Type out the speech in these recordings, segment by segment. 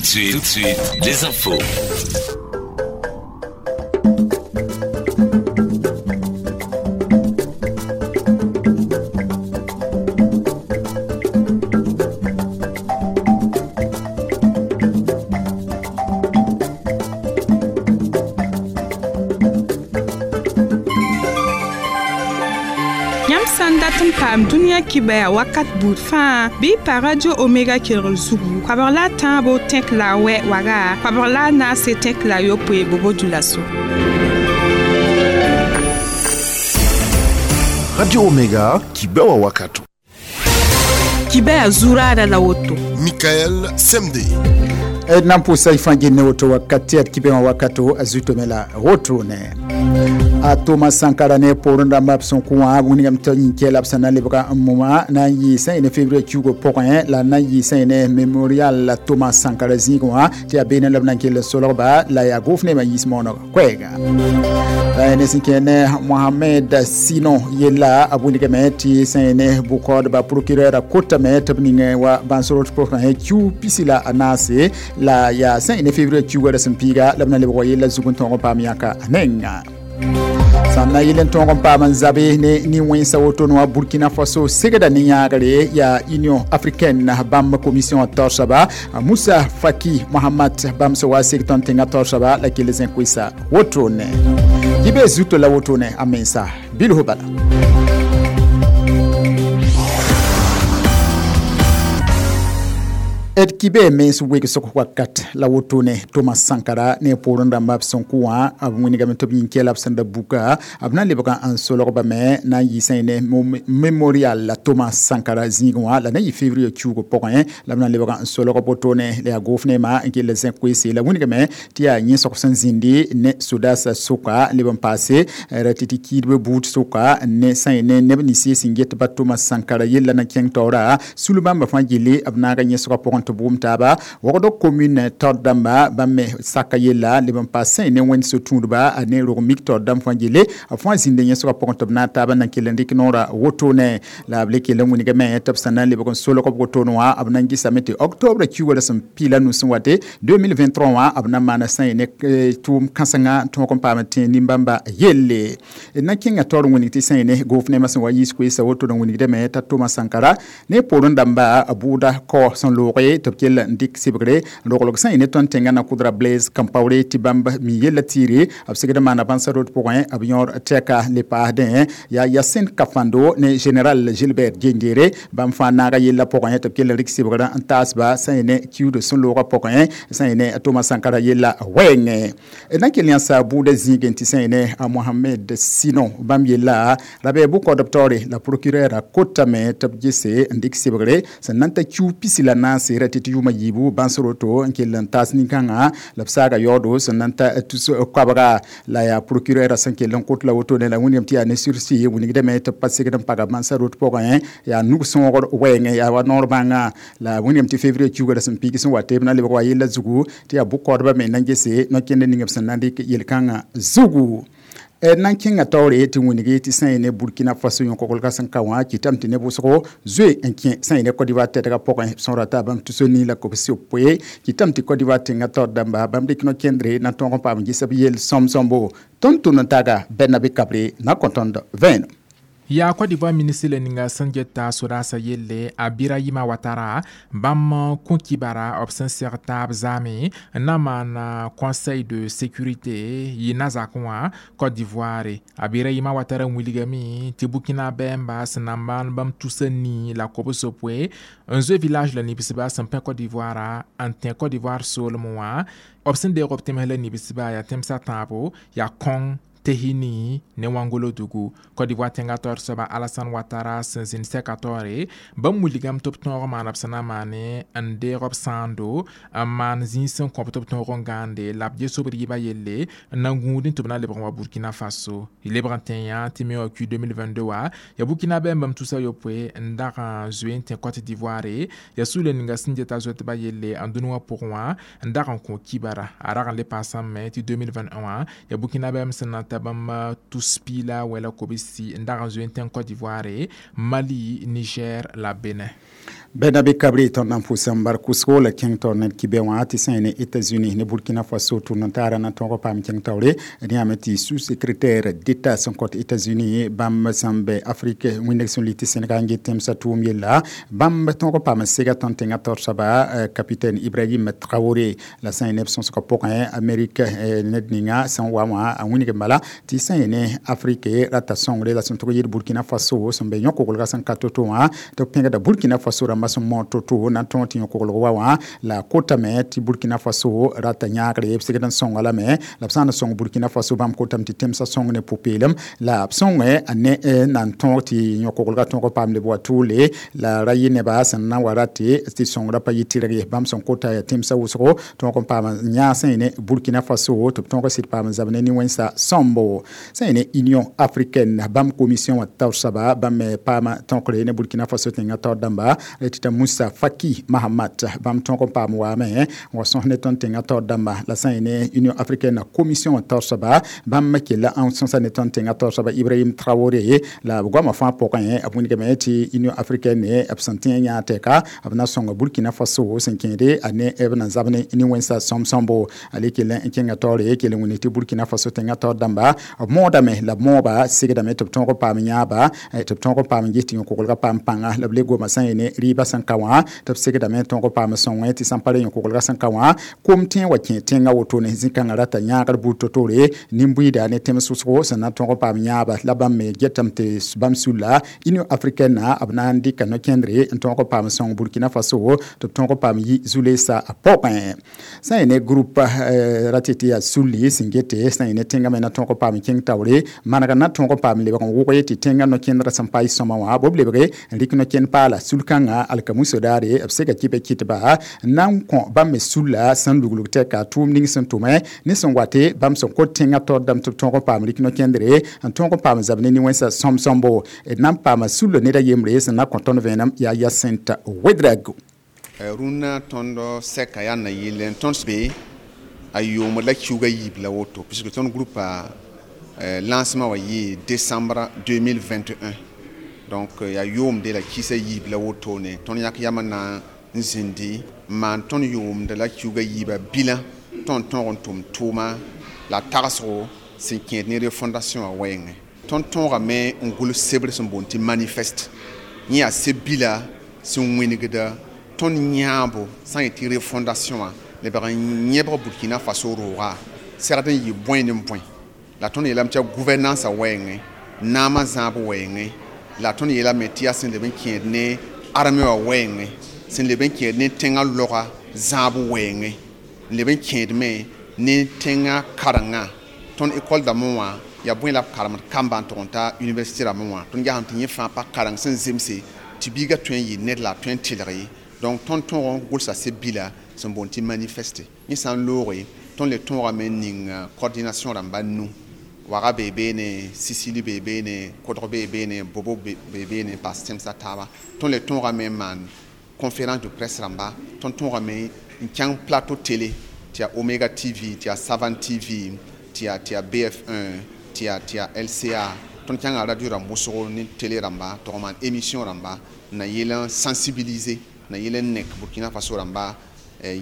de suite, les infos. Yãmb sã n dat n paam dũniyã kibaya wakat buud fãa bɩ y pa Radio Omega kelgr zugu koabg la a tãabo tẽk la a wɛ waga koabg la a naase tẽk la a yopoe bobo dulaso. Radio Omega, Kibewa Wakato. Kibaya zuraada la woto. Michael Semde. Nan pʋʋsa y fãa genne woto wakat tɩ yaa d kibẽ wã wakato a zuto me la wotone a Thomas Sankara ne poorẽ rãmba b sẽn kõ wã wilgame tɩ yĩn la b sẽn na n lebga n moma na n yɩ sã n ne février kiuugã pʋgẽ la na n yɩ sã n ne mémorial la Thomas Sankara zĩigẽ wã tɩ yaa beene la b na n kell n solgba la yaa gʋʋf nebã yiis mooneg koɛɛga la ne sẽn kẽ ne Mohamed Sino yella a wilgame tɩ sã n ne bʋ-kaoodba procureur a kotame tɩ b ning wa bãns-rot pʋgẽ kiu pisi la a naase la yaa sã n ne février kiuugã ra sẽn piiga la b na lebg wa yella zug n tõog n paam yãka a nenga sãn na yɩl n tõog n paam n zabe ne nin-wẽnsa woto wã Burkina Faso segda ne yãagre yaa Union africaine bãmb commission taoor soaba Moussa Faki Mahamat bãmb sẽn wa seg tõnd tẽngã taoor soaba la kell zẽ koɛɛsa wotone kɩ zuto la wotone a mensa bilf bala. D kɩ mens wegsg wakat la wotone Thomas Sankara ne poorẽ rãmba b sẽn kõ wã b wĩnigame tɩ b yĩn la b sẽn da buka b na n lebga n solgba me na n yɩ sã ne mémorial la Thomas Sankara zĩigẽ wã la na n yɩ février kiuugã pʋgẽ la b na n lebga n solg wotone la yaa gʋʋf neema n kell zẽ koeese la wĩnigame tɩ yaa yẽsg sẽn zĩndi ne sodaasã sʋka leb n paase ra tɩ tɩ kiidbã buud sʋka ne sã n ne neb nins sẽn get ba Thomas Sankara yella na kẽng taoora sul bãmba fãa gilli b naaga yẽsgã pʋgẽ tɩ bʋʋm taaba wogd commune taoor dãmba bãmb me saka yella leb n paas sã ne wẽnd so-tũudba ne rog mik taoor dãmb fãa gille b fãa zĩnda yẽsgã pʋgẽ tɩ b naag taaba na n kell n dɩk noorã wotone la b le kell n wilgame tɩ b sẽn na n lebg n solg b wotone wã b na n gɩsame tɩ octobre kiuugã ra sẽn piila nu sẽn wate 2023 wã b na n maana sã n ne tʋʋm kãsenga n tõog n paam n tẽ nin-bãmba yelle na n kẽnga taoor n wilg tɩ sã n ne gʋʋf neemã sẽn wa yiis koeesa wotone n wilgdame t'a Thomas Sankara ne poorẽ dãmba bʋʋda kao sẽn looge tɩ b kell n dɩk sɩbgre roglg sã n ne tõnd tẽngã na kʋdra Blaise Compaoré tɩ bãmb mi yella tiire b segd n maana bãnsa rot pʋgẽ b yõor tɛka le paasdẽ yaa Yacine Kafando ne général Gilbert Diendéré bãmb fãa naaga yella pʋgẽ tɩ b kell n rɩk sɩbgrã n taasba sã n ne kiuud sẽn loogã pʋgẽ sã n ne Thomas Sankara yella wɛɛngẽ na n kell yãsa bʋʋda zĩigẽ tɩ sã n ne Mohamed Sino bãmb yella ra bɩ bʋ-kaoodb taoore la procureur a kotame tɩ b gese n dɩk sɩbgre sẽn na n ta kiu pisi la naase ra tɩ tɩ yʋʋma yiibu bãns roto n kell n taas nin-kãngã la b saaga yaoodo sẽn na n ta tus koabga la yaa procureur sẽn kell n kot la wotone la wĩnigame tɩ yaa ne sursis wilgdame tɩ b pa segd n paga bãnsã rot pʋgẽ yaa nug-sõogr wɛɛngẽ yaa wa noor bãnga la wĩnigame tɩ février kiuugã ra sẽn piig sẽn wa tɩ b na lebg wa yella zugu tɩ yaa bʋ-kaoodbã me na n gese no-kẽnd ning b sẽn na n dɩk yel-kãngã zugu. Na n kẽnga taoore tɩ wĩnigi tɩ sã n ne Burkina Faso yõk-kolgã sẽn ka wã kɩtame tɩ ne vʋʋsgo zoe n kẽ sã n ne Côte d'Ivoire tɛdgã pʋgẽ b sõra t'a bãmb tus nii la kobs yopoe kɩtame tɩ Côte d'Ivoire tẽngã taoor dãmba bãmb dɩk no-kẽndre na tõog n paam ges b yell sõm-sõmbo tõnd tʋm n taga Bɛrnabe Kabre na kõ tõnd vẽenem. Yaa Côte d'Ivoire ministre la ninga sẽn geta sodaasã yelle a Birahima Ouattara bãmb kõ kibara b sẽn seg taab zaame n na n maan conseil de sécurité yɩ na-zakẽ wã Côte d'Ivoire a Birahima Ouattara wilgame tɩ Burkina bɛɛmba sẽn na n maan bãmb tusa nii la kobs-poe n zoe village la nibsba sẽn pẽ Côte d'Ivoire n tẽ Côte d'Ivoire soolem wã b sẽn deeg b tẽms la nibsba yaa tẽmsã tãabo yaa kõng Tehini ne Wangolo dugu Côte d'Ivoire tẽngã taoor soaba Alassane Ouattara sẽn zĩnd sɛka taoore bãmb wilgame tɩ b tõog n maana b sẽn na n maane n deeg b sãando n maan zĩig sẽn kõ b tɩ b tõog n gãande la b ges b rɩɩbã yelle n na n gũudẽ tɩ b na lebg n wa Burkina Faso y lebg n tẽ yã tɩ me wa q 2022 wã yaa Burkina bɛɛm bãmb tusa yopoe n dag n zoe n tẽ Côte d'Ivoire yaa sugl ninga sẽn geta zoetbã yelle n dũni wã pʋgẽ wã n dag n kõ kibara a rag n le paasame tɩ 2021 wã yaa Burkina bɛɛm sẽn na n ta bãmb tus piig la wɛ la kobsi n dag n zoe n tẽng Côte d'Ivoire, Mali, Niger la Benin. Bɛda be kabre tõnd na n pʋʋs n bar kʋsgo la kẽng taoor ned kibɛ wã tɩ sã ne États-Unis ne Burkina Faso tʋʋm n taara na tõog paam kẽng taoore. Rẽ yaame tɩ sous-secrétaire d'État sẽn kõt États-Unis bãmb sẽn bɛ Afrique wĩneg sẽn li tɩ Sénégal n get tẽmsã tʋʋm yella, bãmb tõog paam n sega tõnd tẽngã taoor soaba capitaine Ibrahim Traoré. La sã n neb sõsgã pʋgẽ, Amérique ned ninga sẽn wa wã a wĩneg n bala tɩ sã ne Afrique rata sõngre la sẽn tʋg yɩɩd Burkina Faso sẽn be yõ-koglgã sẽn ka to-to wã, tɩ b pẽgda Burkina Faso rãmbã sẽn mood to-to na n tõog tɩ yõ-koglg wa wã. La kotame tɩ Burkina Faso rata yãagre, b segd n sõnga lame, la b sã n sõng Burkina Faso, bãmb kotame tɩ tẽmsã sõng ne pʋ-peelem la b sõngẽ a ne na n tõog tɩ yõ-koglgã tõog paam leb wa tʋʋle. La ra yɩ neba sẽn na n wa rate tɩ sõngrã pa yɩ tɩrg ye. Bãmb sẽn kota yaa tẽmsã wʋsgo tõog n paam yãag sã ne Burkina Faso tɩ b tõog sɩd paam n zab ne nin-wẽnsa sõmbo. Sã ne Union africaine, bãmb commission wã taoor soaba, bãmb me paama tõkre ne Burkina Faso tẽngã taoor dãmba tɩ t'a Moussa Faki Mahamat. Bãmb tõog n paam waame n wa sõs ne tõnd tẽngã taoor dãmba. La sã n ne Union africaine commission wã taoor soaba, bãmb kella n sõsa ne tõnd tẽngã taoor soaba Ibrahim Traoré. La b goamã fãa pʋgẽ, b wĩnigame tɩ Union africaine b sẽn tẽ yãag tɛka, b na sõnga Burkina Faso sẽn kẽede a ne b na zab ne nin-wẽnsa sõm-sõmbo. A le kell n kẽnga taoore kell n wĩnig tɩ Burkina Faso tẽngã taoor dãmba b moodame la b mooba segdame tɩ b tõog n paam yãaba, tɩ b tõog n paam n ges tɩ yõ-koglgã paam pãnga. La b le goma sã n ne rɩɩbã sẽn ka wã, tɩ b segdame tõog n paam sõngẽ tɩ sãn pa ra yõ-koglgã sẽn ka wã kom tẽ wa kẽ tẽngã wotone. Zĩ-kãngã rata yãagr buud to-tore nin-buiida ne tẽms wʋsgo sẽn na tõog n paam yãaba. La bãmb me getame tɩ bãmb sulla Union africaine b na n dɩka no-kẽndre n tõog n paam sõng Burkina Faso tɩ b tõog n paam yi zu-leesã pʋgẽ. Sã n ne groupe ra tɩ yaa sulli sẽn gete sã n ne tẽngã me na tõog n paam kẽng taoore maneg na tõog n paam lebg n wʋge tɩ tẽngã no-kẽndrã sẽn pa y sõma wã b lebge n rɩk no-kẽnd paala sul-kãngã alkamuso daare. B sega kɩ kɩtba na n kõ bãmb me sulla sẽn luglg tɛka tʋʋm ning sẽn tʋmẽ ne sẽn wate bãmb sẽn kot tẽngã taoor dãmb tɩ b tõog n paam rɩk no-kẽndre n tõog n paam zab ne nin-wẽnsã sõm-sõmbo. D na n paama sulla ned a yembre sẽn na kõ tõnd vẽenem yaa Yacinthe Ouédraogo. Rũnnã tõnd sɛka yaa na yɩl n tõnd be a yoomd la kiuga yiib la woto, puisque tõnd groupe a lancement wa yɩ décembre 2021, donc yaa yoomde la kɩsa yiib la wotone. Tõnd yãk yam na n zĩndi n maan tõnd yoomd la kiuga yiiba bilã tõnd tõog n tʋm tʋʋma la tagsgo sẽn kẽed ne refondation wã wɛɛngẽ. Tõnd tõogame n gʋls sebr sẽn boond tɩ manifeste. Yẽ yaa seb-bila sẽn wĩnigda tõnd yãabo sã n yetɩ refondation wã lebg n yẽbg Burkina Faso rooga segd n yɩ bõe ne bõe. La tõnd yeelame tɩ yaa gouvernance wɛɛngẽ, naamã zãab wɛɛngẽ, la tõnd yeelame tɩ yaa sẽn leb n kẽed ne armée wã wɛɛngẽ, sẽn leb n kẽed ne tẽngã loga zãab wɛɛngẽ, n leb n kẽedme ne tẽngã karengã. Tõnd école dãmbẽ wã yaa bõe la b karemd kamba n tʋg n ta université rãmbẽ wã. Tõnd gesame tɩ yẽ fãa pa kareng sẽn zemse tɩ biigã tõe n yɩ ned la a tõe n tɩlg ye. Donc tõnd tõog n gʋlsa seb-bila sẽn boond tɩ manifeste. Yẽ sã n looge, tõnd le tõogame n ning coordination rãmba nu waga bee beene, Sisili bee beene, kodg bee beene, bobo bee beene, n paas tẽmsã taaba. Tõnd le tõogame n maan conférence de presse rãmba. Tõnd tõogame n kẽng plateau télé, tɩ yaa Omega TV, tɩ yaa Savan TV, tɩ yaa BF1, tɩ yaa LCA. Tõnd kẽnga radio rãmb wʋsgo ne télé rãmba tɩ maan émission rãmba n na yɩl n sensibiliser, na yɩl n nek Burkina Faso rãmba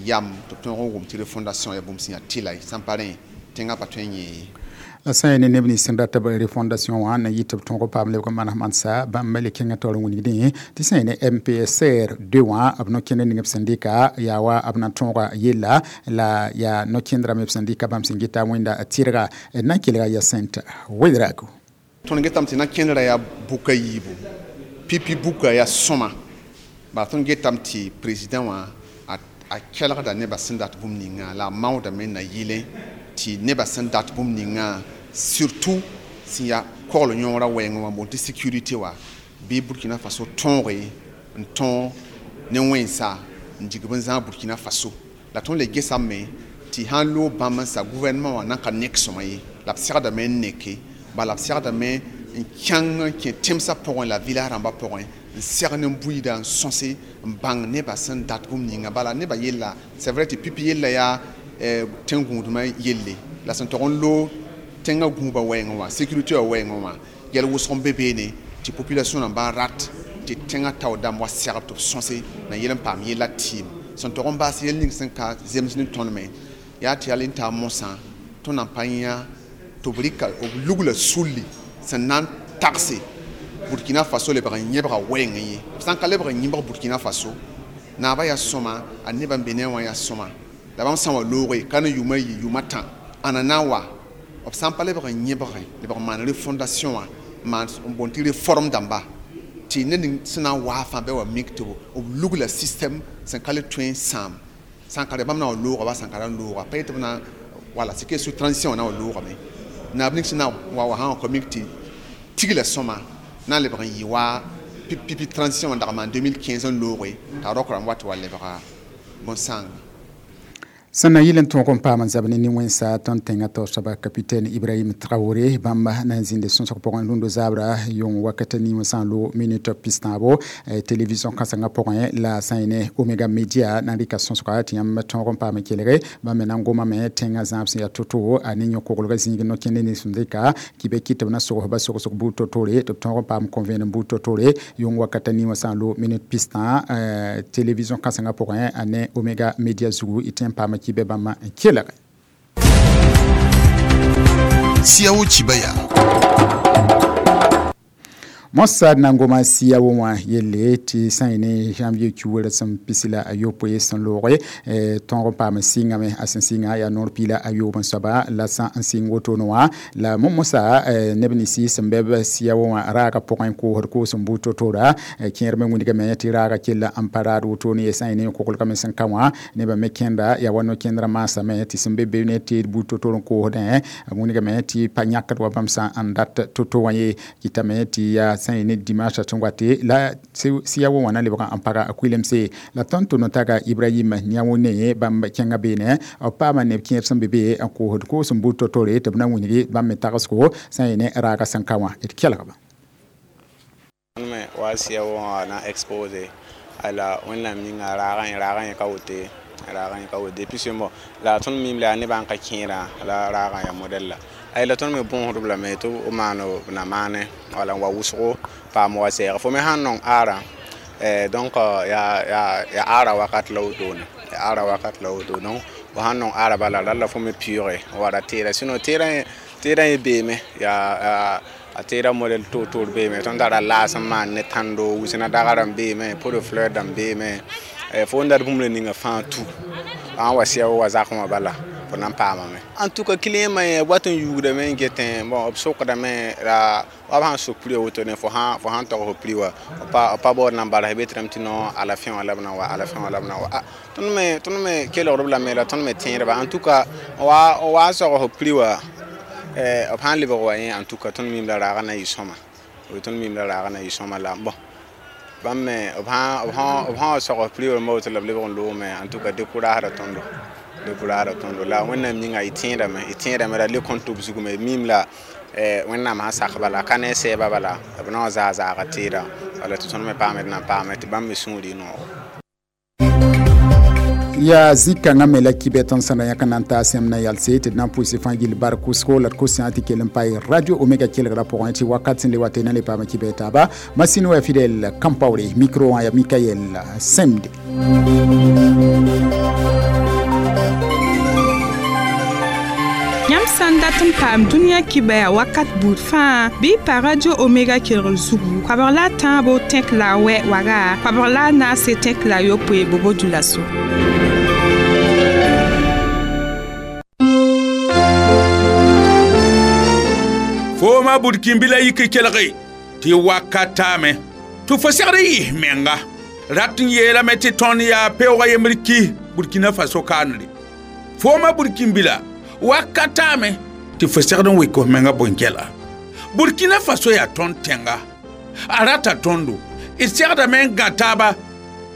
yam tɩ b tõog n wʋm tɩ refondation yaa bũmb sẽn yaa tɩla sãn pa rẽ tẽngã pa tõe n yẽ. La sã n ne neb nins sẽn dat b refondation wã na yɩ tɩ b tõog paam lebg n maneg mansa, bãmb le kẽngã taoor n wilgdẽ tɩ sã n ne MPSR 2 wã b no-kẽnd ning b sẽn dɩka yaa wa b na tõoga yella la yaa no-kẽndrã me b sẽn dɩka bãmb sẽn geta wẽnda tɩrga. D na n kelga Yacinthe Ouédraogo. Tõnd getame tɩ na-kẽndrã yaa bʋka yiibu pipi, buka yaa sõma. Bala tõnd getame tɩ président wã a kelgda nebã sẽn dat bũmb ninga, la a maoodame na yɩlẽ tɩ nebã sẽn dat bũmb ninga, surtout sẽn yaa kogl yõorã wɛɛngẽ wã boond tɩ sécurité wa bɩ Burkina Faso tõoge n tõog ne wẽnsa n dig b n zãag Burkina Faso. La tõnd le gesame tɩ sãn loog bãmb n sa gouvernement wã nan ka nek sõma ye, la b segdame n neke. Bala b segdame n kẽng n kẽ tẽmsã pʋgẽ la village rãmbã pʋgẽ n segd n buiida n sõse n bãng nebã sẽn dat bũmb ninga. Bala nebã yella, c'est vrai tɩ pipi yella yaa tẽn-gũudmã yelle la sẽn tog n loog. Tẽngã gũubã wɛɛngẽ wã, sécurité wã wɛɛngẽ wã, yɛl wʋsg n be beene tɩ population rãmbã rat tɩ tẽngã tao dãmb wa segb tɩ b sõse na yel n paam yella tɩɩm sẽn tog n baas yel ning sẽn ka zems ne tõnd me yaa tɩ yal n taa mosã tõnd na n pa yã tɩ b rɩka b lugla sulli sẽn na n tagse Burkina Faso lebg n yẽbga wɛɛngẽ ye. B sã n ka lebg n yẽbg Burkina Faso, naabã yaa sõma, a nebã n be ne wã yaa sõma, la bãmb sã n wa looge ka ne yʋʋma yi yʋʋma tã ãna na n wa b sã n pa lebg n yẽbgẽ, lebg n maan refondation wã, maan n boond tɩ réforme dãmba tɩ ned ning sẽn na n waa fãa bɩ wa mik tɩ b lugla système sẽn ka le tõe n sãam sã n ka re bãmb na wa looga ba sã n ka ra n looga pa yetɩ b na wala c'est que sous transition wã na wa loogame naab ning sẽn na wa wa sã n wa ka mik tɩ tigla sõma na n lebg n yɩ wa pipi transition wã n dag n maan 2015 n looge t'a rok rãmb wa tɩ wa lebga bõn-sãanga. Sẽn na yɩl n tõog n paam n zab ne nin-wẽnsa tõnd tẽngã taoor soaba capitaine Ibrahim Traoré bãmb na n zĩnde sõsg pʋgẽ rũndo zaabra yõng wakat nin wã sã n loog minute pistãabo télévision kãsengã pʋgẽ la sã n yẽ ne Omega Media na n rɩka sõsga tɩ yãmb tõog n paam n kelge bãmb me na n gomame tẽngã zãab sẽn yaa to-to a ne yõ-koglgã zĩig no-kẽnd nins sẽn dɩka kɩ be kɩ tɩ b na sogsba sogsg buud to-tore tɩ b tõog n paam convene buud to-tore yõng wakat nin wã sã n loog minute pistã télévision kãsengã pʋgẽ a ne Omega Media zugu y tẽ n paam kibe bãmba n kelge. Siao Chibaya. Mossad na n goma siya wã yelle tɩ sã n yẽ ne janvier kiuugr sẽn pisi la a yopoe sẽn looge tõog n paam n sɩngame a sẽn sɩnga yaa noor piila a yoob n soaba la sã n sɩng wotone wã la mosa neb ninsi sẽn bɛ b siya wã raaga pʋgẽ koosd koos n buud to-tora kẽer me wĩndgame tɩ raaga kella n pa raad wotone ye sã n yẽ ne koglgame sẽn ka wã nebã me kẽnda yaa wa no-kẽndrã maasame tɩ sẽn be be ne teed buud to-tor n koosdẽ wĩndgame tɩ pa yãkd wa bãmb sã n dat to-to wã ye kɩtame tɩ yaa sã n yẽ ne dimanche sẽn wate la siya wã na lebg n paga a kuilemse la tõnd tʋ no-taga Ibrahim Niawone bãmb kẽngã beene b paama neb kẽer sẽn be be n koosd koos n buud to-tore tɩ b na wĩngi bãmb me tagsgo sã n yẽ ne raaga sẽn ka wã d kelgba. Me wa siya wã na exposé ala wẽnnaam yĩnga raagã yẽ ka wote raagã yẽ ka wote depuis ce moment la tõnd mim la nebã n ka kẽerã la raagã yaa modèle la ay la tõnd me bõosdb lame tɩ b maan b na maane wala n wa wʋsgo paam wa sɛɛg fo me sãn nong aarã donc ya aara wakat la wotone ya aara wakat la woto donc fo sãn nong aara bala ralla fo me pɩʋʋge n wa ra teera sinon teerã yẽ beeme yaa a teera modèle toor-toor beeme tõnd tara laas n maan ne tãndo wusna dagarã beeme pot de fleur dãmb beeme fo n dat bũmb la ninga fãa tu sã n wa sɩa wa zakẽ wã bala fo na n paamame. En tout cas client ma yẽ wat n yuugdame n getẽ bon b sokdame la wa b sãn sok prix woto ne fo sãn tog fo prix wã b pa baood na n bars be tɩ rãmb tɩ no à la fin wã la b na wa à la fin wã la b na wa tõnd me kelgdb lame la tõnd me tẽedba en tout cas wa n sog fo prix wã b sãn lebg wa yẽ en tout cas tõnd mim la raagã na yɩ sõma tõnd mim la raagã na yɩ sõma la bon bãmb me b sã n sog f prix wã woto la b lebg n loogame en tout cas découragera tõndo découragera tõndo la wẽnnaam yĩnga y tẽedame la le kõn tɩ b zug me mim la wẽnnaam sã sak bala ka ne sɛɛba bala b na n zaa zaaga teeda wala tɩ tõnd me paame d na n paame tɩ bãmb me sũur y noogo. Ya zĩ-kãngã me la kibɛ tõnd sẽn da yãk n na n taa sẽm na yalse tɩ d na n pʋʋse fãa gill bar kʋsgo la d kosã tɩ kell n pae radio Omega kelgrã pʋgẽ tɩ wakat sẽn le wa tɩ na le paama kibɛ taaba masine wa Fidèle Kampaore micro wã ya Mikael Semde. Yãmb sã n dat n paam dũniyã kibɛa wakat buud fãa bɩ pa radio Omega kelgr zugu koabg la a tãabo tẽk la a wɛ waga koabg la a naase tẽk la a yopoe bobo dulaso. Fo ma burkinbila yik kelge tɩ wakatame tɩ fo segd n yɩs menga rat n yeelame tɩ tõnd yaa peoogã yembr ki Burkina Faso kaanre fo ma burkinbila wakatame tɩ fo segd n wɩk f menga bõn-gɛla Burkina Faso yaa tõnd tẽnga a rata tõndo d segdame n gã taaba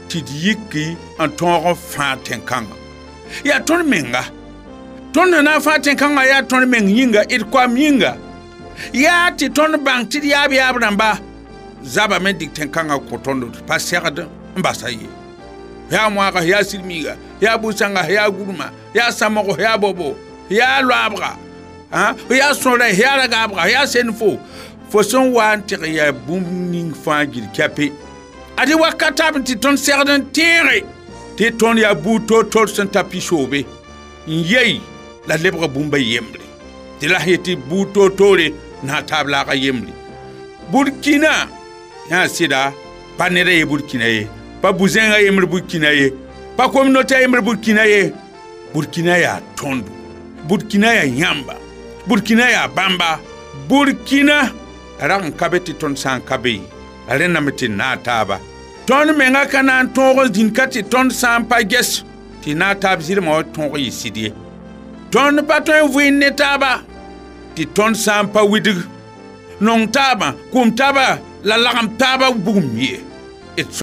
tɩ d yiki n tõog n fãa tẽn-kãngã yaa tõnd menga tõnd na n fãa tẽn-kãngã yaa tõnd meng yĩnga d koam yĩnga yaa tɩ tõnd bãng tɩ d yaab yaab rãmba zabame dɩk tẽn-kãngã kõ tõndo tɩ pa segd n basa ye yaa moaga yaa sɩd-miiga yaa bu-sãnga yaa gurma yaa samgo yaa bobo yaa loabga Fo yaa sõra, yaa ragaabga, yaa senfo, fo sẽn wa n tɩg yaa bũmb ning fãa gil kɛpe. Ad-y wakat taab tɩ tõnd segd n tẽege tɩ tõnd yaa buud toor-toor sẽn ta pisoobe n yei la lebga bũmba yembre, tɩ la sẽn yetɩ buud toor-toore na taab laaga yembre. Burkina yã sɩda pa ned a ye Burkina ye, pa bu-zẽngã yembr Burkina ye, pa communauté a yembr Burkina ye. Burkina yaa tõndo, Burkina yaa yãmba, Burkina yaa bãmba. Burkina rag n ka be tɩ tõnd sã n ka be, rẽndame tɩ naag taaba. Tõnd menga ka na n tõog n zĩnd ka tɩ tõnd sã n pa ges tɩ naag taab zɩlmã wa tõog yɩ sɩd ye. Tõnd pa tõe n vɩɩnd ne taaba tɩ tõnd sã n pa widg nong taabã, kʋm taaba la lagem taaba bugum ye.